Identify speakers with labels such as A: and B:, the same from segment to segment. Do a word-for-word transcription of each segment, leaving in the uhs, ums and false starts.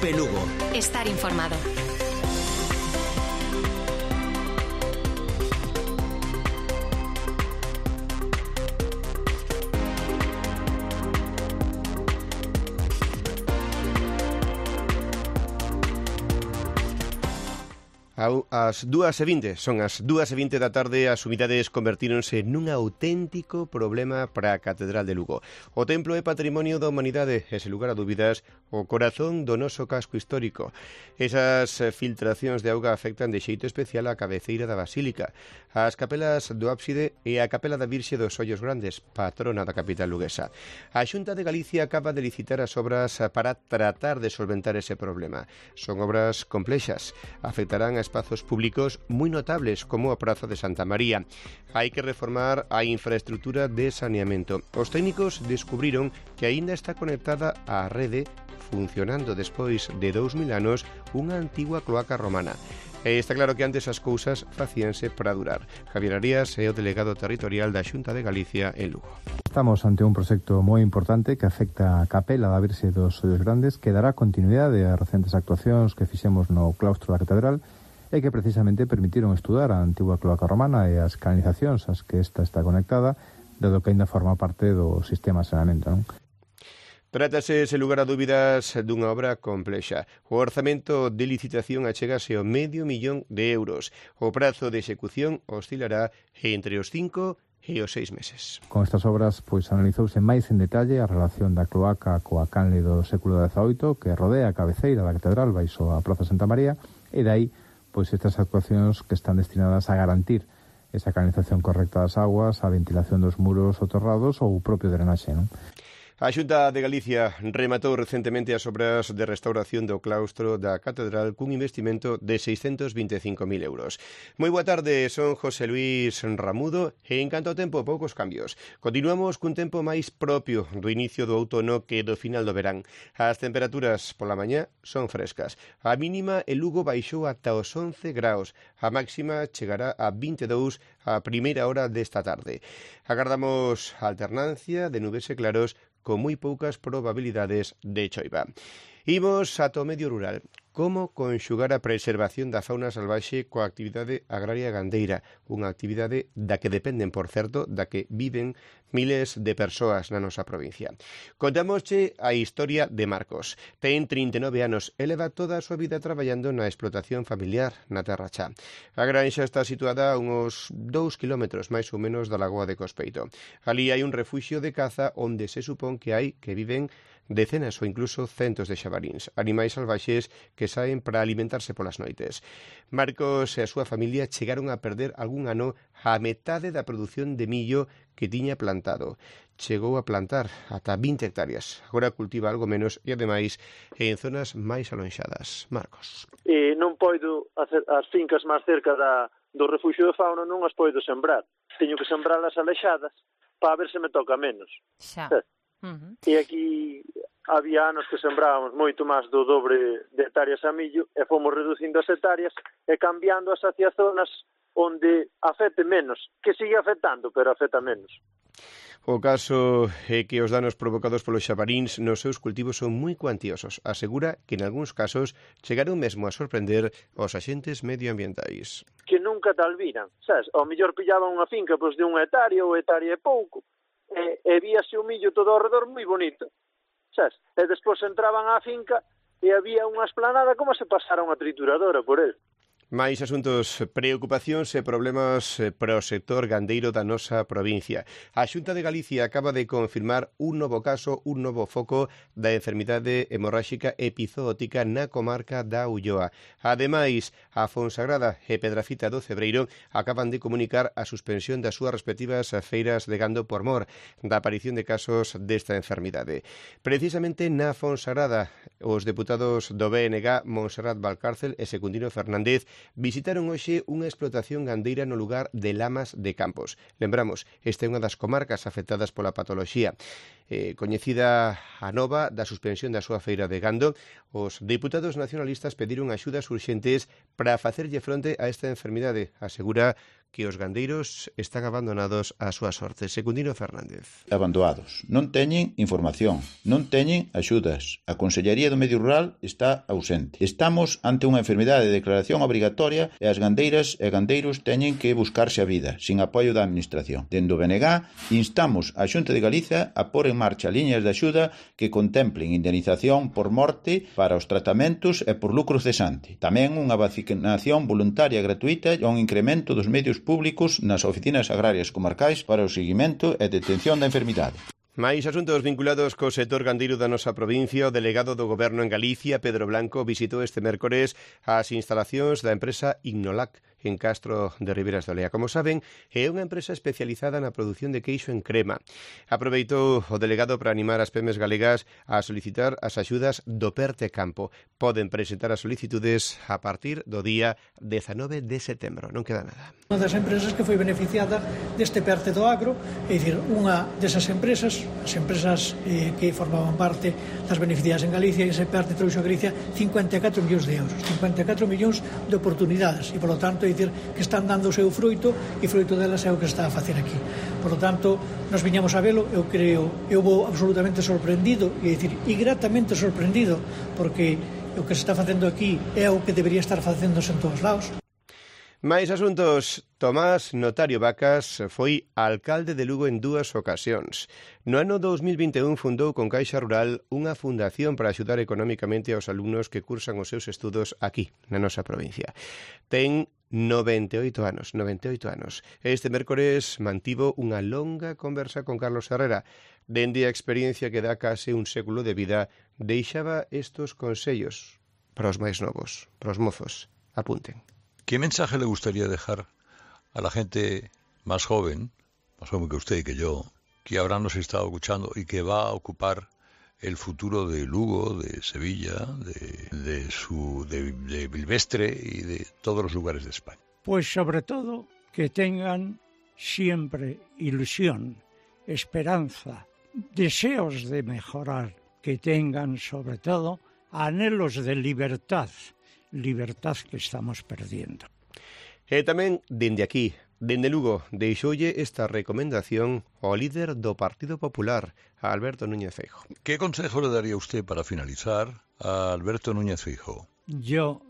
A: Cope Lugo.
B: Estar informado.
C: As dúas e vinte, son as dúas e vinte da tarde, as unidades convertíronse nun auténtico problema para a Catedral de Lugo. O templo é patrimonio da humanidade e, sen lugar a dúbidas, o corazón do noso casco histórico. Esas filtracións de auga afectan de xeito especial a cabeceira da Basílica, as capelas do ábside e a capela da Virxe dos Ollos Grandes, patrona da capital luguesa. A Xunta de Galicia acaba de licitar as obras para tratar de solventar ese problema. Son obras complexas, afectarán a espazos públicos moi notables como a Praza de Santa María. Hai que reformar a infraestructura de saneamento. Os técnicos descubriron que aínda está conectada á rede, funcionando despois de dous mil anos, unha antigua cloaca romana. E está claro que antes as cousas facíanse para durar. Javier Arias é o delegado territorial da Xunta de Galicia en Lugo.
D: Estamos ante un proxecto moi importante que afecta a capela da Virxe dos Ollos Grandes, que dará continuidade ás recentes actuacións que fixemos no claustro da Catedral e que precisamente permitiron estudar a antigua cloaca romana e as canalizacións ás que esta está conectada, dado que ainda forma parte do sistema de saneamento, non?
C: Trátase, sen lugar a dúbidas, dunha obra complexa. O orzamento de licitación achegase ao medio millón de euros. O prazo de execución oscilará entre os cinco e os seis meses.
D: Con estas obras, pois, analizouse máis en detalle a relación da cloaca coa canle do século dezaoito que rodea a cabeceira da catedral baixo a Praza Santa María, e dai pois estas actuacións que están destinadas a garantir esa canalización correcta das aguas, a ventilación dos muros soterrados ou o propio drenaxe, non?
C: A Xunta de Galicia rematou recentemente as obras de restauración do claustro da Catedral cun investimento de seiscentos vinte e cinco mil euros. Moi boa tarde, son José Luis Ramudo e en canto ao tempo, poucos cambios. Continuamos cun tempo máis propio do inicio do outono que do final do verán. As temperaturas pola mañá son frescas. A mínima en Lugo baixou ata os once graus. A máxima chegará a vinte e dous a primeira hora desta tarde. Agardamos alternancia de nubes e claros con moi poucas probabilidades de choiva. Imos ata o medio rural. Como conxugar a preservación da fauna salvaxe coa actividade agraria gandeira, unha actividade da que dependen, por certo, da que viven miles de persoas na nosa provincia. Contámosche a historia de Marcos. Ten trinta e nove anos e leva toda a súa vida traballando na explotación familiar na Terra Chá. A granxa está situada a uns dous kilómetros máis ou menos da lagoa de Cospeito. Ali hai un refuxio de caza onde se supón que hai que viven decenas ou incluso centos de xabaríns, animais salvaxes que saen para alimentarse polas noites. Marcos e a súa familia chegaron a perder algún ano a metade da produción de millo que tiña plantado. Chegou a plantar ata vinte hectáreas. Agora cultiva algo menos e, ademais, en zonas máis alonxadas. Marcos.
E: E non poido hacer as fincas máis cerca da, do refuxio de fauna, non as poido sembrar. Teño que sembrarlas alexadas para ver se me toca menos.
B: Xa.
E: Uh-huh. E aquí había anos que sembrábamos moito máis do dobre de hectáreas a millo e fomos reducindo as hectáreas e cambiando as hacia zonas onde afecte menos, que sigue afectando, pero afecta menos.
C: O caso é que os danos provocados polos xabaríns nos seus cultivos son moi cuantiosos. Asegura que en algúns casos chegaron mesmo a sorprender os axentes medioambientais.
E: Que nunca tal viran, sabes? Ao mellor pillaban unha finca pois, de unha hectárea ou hectárea e pouco, e, e víase o millo todo ao redor moi bonito, sabes? E despois entraban á finca e había unha esplanada como se pasara unha trituradora por el.
C: Máis asuntos, preocupacións e problemas para o sector gandeiro da nosa provincia. A Xunta de Galicia acaba de confirmar un novo caso, un novo foco da enfermidade hemorráxica epizootica na comarca da Ulloa. Ademais, a Fonsagrada e Pedrafita do Cebreiro acaban de comunicar a suspensión das súas respectivas feiras de gando por mor da aparición de casos desta enfermidade. Precisamente na Fonsagrada, os deputados do B N G, Montserrat Valcárcel e Secundino Fernández, visitaron hoxe unha explotación gandeira no lugar de Lamas de Campos. Lembramos, esta é unha das comarcas afectadas pola patoloxía. Eh, coñecida a nova da suspensión da súa feira de gando, os deputados nacionalistas pediron axudas urxentes para facerlle fronte a esta enfermidade. Asegura que os gandeiros están abandonados á súa sorte. Secundino Fernández.
A: Abandonados. Non teñen información, non teñen axudas. A Consellería do Medio Rural está ausente. Estamos ante unha enfermidade de declaración obrigatoria e as gandeiras e gandeiros teñen que buscarse a vida, sin apoio da Administración. Dende o B N G instamos a Xunta de Galiza a pôr en marcha liñas de axuda que contemplen indemnización por morte para os tratamentos e por lucro cesante. Tamén unha vacinación voluntaria gratuita e un incremento dos medios públicos nas oficinas agrarias comarcais para o seguimento e detención da enfermidade.
C: Mais asuntos vinculados co sector gandeiro da nosa provincia, o delegado do Goberno en Galicia, Pedro Blanco, visitou este mércores as instalacións da empresa Ignolac en Castro de Riberas de Olea. Como saben, é unha empresa especializada na produción de queixo en crema. Aproveitou o delegado para animar as pemes galegas a solicitar as axudas do PERTE Campo. Poden presentar as solicitudes a partir do día dezanove de setembro. Non queda nada.
B: Unha das empresas que foi beneficiada deste PERTE do agro, é dicir, unha desas empresas, as empresas eh, que formaban parte das beneficiadas en Galicia, e ese PERTE trouxo a Galicia cincuenta e catro millóns de euros, cincuenta e catro millóns de oportunidades, e, polo tanto, é dicir, que están dando o seu fruito, e fruito delas é o que está a facer aquí. Por lo tanto, nos viñamos a velo, eu creo, eu vou absolutamente sorprendido, e dicir, e gratamente sorprendido, porque o que se está facendo aquí é o que debería estar facéndose en todos lados.
C: Mais asuntos. Tomás Notario Vacas foi alcalde de Lugo en dúas ocasións. No ano dous mil vinte e un fundou con Caixa Rural unha fundación para axudar económicamente aos alumnos que cursan os seus estudos aquí, na nosa provincia. Ten noventa e oito anos, noventa e oito anos. Este mércores mantivo unha longa conversa con Carlos Herrera. Dende a experiencia que dá case un século de vida, deixaba estos consellos para os máis novos, para os mozos. Apunten.
F: ¿Qué mensaje le gustaría dejar a la gente más joven, más joven que usted y que yo, que ahora nos está escuchando y que va a ocupar el futuro de Lugo, de Sevilla, de, de, su, de, de Bilvestre y de todos los lugares de España?
G: Pues sobre todo que tengan siempre ilusión, esperanza, deseos de mejorar, que tengan sobre todo anhelos de libertad, libertad que estamos perdiendo.
C: E tamén, dende aquí, dende Lugo, deixoulle esta recomendación ao líder do Partido Popular, a Alberto Núñez Feijóo.
F: ¿Qué consejo le daría usted para finalizar a Alberto Núñez Feijóo?
G: Yo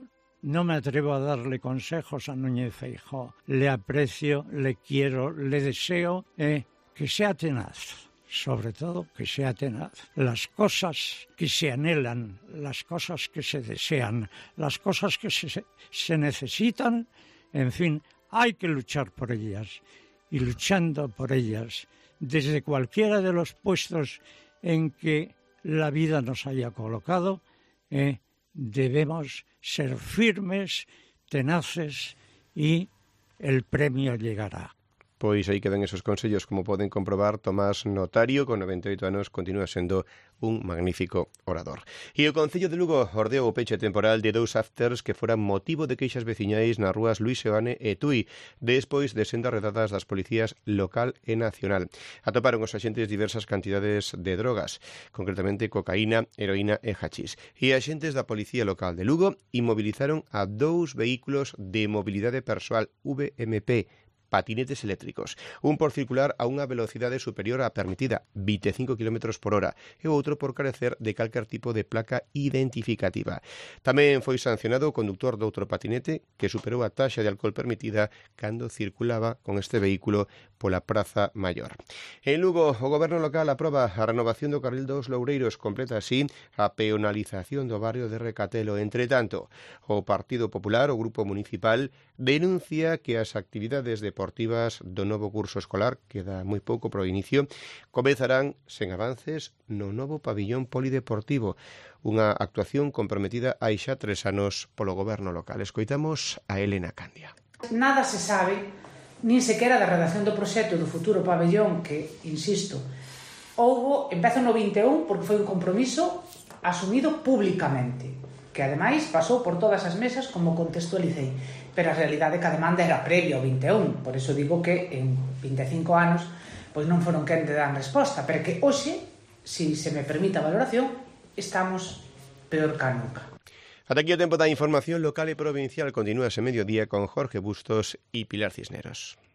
G: no me atrevo a darle consejos a Núñez Feijóo. Le aprecio, le quiero, le deseo eh, que sea tenaz. Sobre todo que sea tenaz. Las cosas que se anhelan, las cosas que se desean, las cosas que se, se necesitan, en fin, hay que luchar por ellas. Y luchando por ellas, desde cualquiera de los puestos en que la vida nos haya colocado, eh, debemos ser firmes, tenaces, y el premio llegará.
C: Pois aí quedan esos consellos, como poden comprobar. Tomás Notario, con noventa e oito anos, continúa sendo un magnífico orador. E o Concello de Lugo ordeou o peche temporal de dous afters que foran motivo de queixas veciñais nas rúas Luís Seoane e Tui, despois de sendas redadas das policías local e nacional. Atoparon os axentes diversas cantidades de drogas, concretamente cocaína, heroína e hachís. E axentes da Policía Local de Lugo inmovilizaron a dous vehículos de mobilidade persoal V M P, patinetes eléctricos, un por circular a unha velocidade superior á permitida, vinte e cinco kilómetros por hora, e o outro por carecer de calquer tipo de placa identificativa. Tamén foi sancionado o conductor do outro patinete que superou a taxa de alcohol permitida cando circulaba con este vehículo pola Praza Maior. En Lugo, o Goberno local aproba a renovación do carril dos Loureiros, completa así a peonalización do barrio de Recatelo. Entre tanto, o Partido Popular, o Grupo Municipal, denuncia que as actividades deportivas do novo curso escolar, queda moi pouco para o inicio, comezarán sen avances no novo pabillón polideportivo, unha actuación comprometida hai xa tres anos polo Goberno local. Escoitamos a Elena Candia.
H: Nada se sabe, nin sequera da redacción do proxecto do futuro pabellón que, insisto, houbo, empeza no vinte e un porque foi un compromiso asumido públicamente, que ademais pasou por todas as mesas como contextualicei, pero a realidade é que a demanda era previa ao vinte e un, por iso digo que en vinte e cinco anos pois non foron quen de dar resposta, pero que hoxe, se se me permite a valoración, estamos peor que nunca.
C: Ata aquí o tempo da información local e provincial. Continúa ese mediodía con Jorge Bustos e Pilar Cisneros.